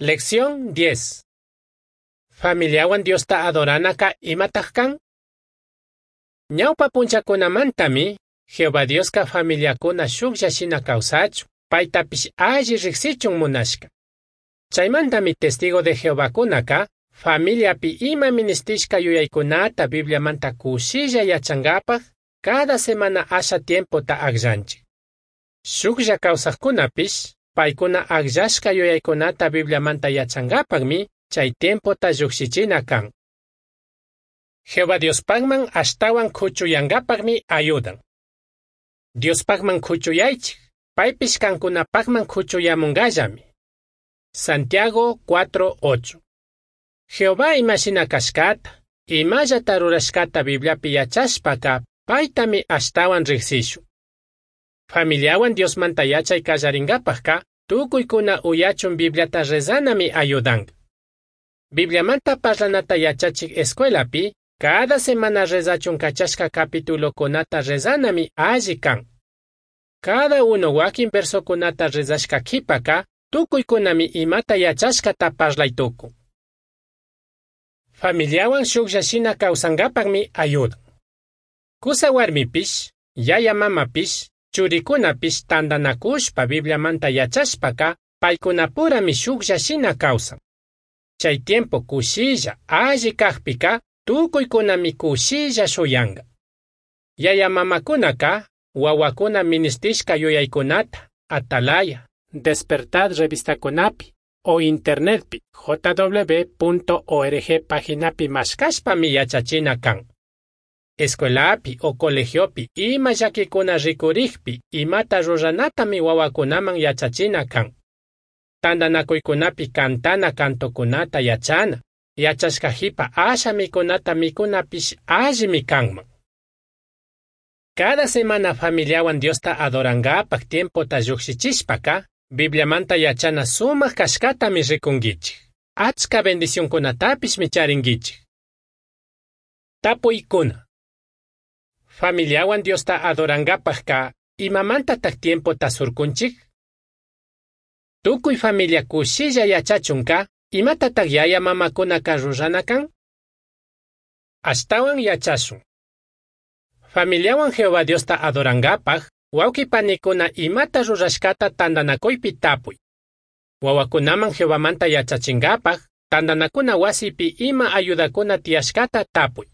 Lección 10. Familiawan Diosta adoranaca imataj kan? Ñawpa punchakunamantami, Jehová Dioska familiakuna shuklla shina kawsachun, paytapish alli riqsichun munashka. Chaymantami testigo de Jehovakunaka, familiapi ima ministishka yuyaykunata Bibliamanta kushilla yachankapaj, cada semana asha tiempota akllanchik. Shuklla kawsaqkunapish, paykuna akllashka yuyaykunata Bibliamanta yachankapaqmi, chay tiempota llukshichina kan. Jehová Diospaqman ashtawan kuchuyankapaqmi ayudan. Diospaqman kuchuyaychik, paypish kankunapaqman kuchuyamunkallami. Santiago 4:8. Jehová imashina kashkata, imallata rurashkata Bibliapi yachashpaka, paytami ashtawan riqsishun. Familiawan Diosmanta yachay kallarinkapaqka, tukuykuna uyachun Bibliata rezanami ayudanka. Bibliamanta parlanata yachachik escuelapi, cada semana rezachun kachashka capitulokunata rezanami alli kan. Cada uno wakin versokunata rezashka qhipaka, tukuykunami imata yachashkata parlay tukun. Familiawan shuklla shina kawsankapaqmi ayudan. Kusa warmipish, yaya mamapish, churikunapish tantanakushpa Bibliamanta yachashpaka, paykunapurami shuklla shina kawsan. Chay tiempo kushilla, alli kaqpika, tukuykunami kushilla shuyanka. Yaya mamakunaka, wawakuna ministishka yuyaykunata, Atalaya, Despertad revistakunapi, o internetpi jw.org paginapi mashkashpami yachachina kan. Escuelapi o colegiopi ima llakikuna rikurikpi imata ruranatami wawakunaman yachachina kan. Tantanakuykunapi kantana kantokunata yachana, yachashka hipa asha mikunata mikunapish allimi kanman. Cada semana familiawan Diosta adorankapaq tiempota llukshichishpaka, Bibliamanta yachana sumaq kashkatami rikunkichik. Achka bendicionkunatapishmi charinkichik. Tapuykuna. Familiawan Diosta adorankapaqka, imamantataq tiempota surkunchik? Tukuy familia kushilla yachachunka, imatataq yaya mamakunaka rurana kan? Ashtawan yachashun. Familiawan Jehová Diosta adorankapaq, wawqi panikuna imata rurashkata tantanakuypi tapuy. Wawakunaman Jehovamanta yachachinkapaq, tantanakuna wasipi ima ayudakuna tiyashkata tapuy.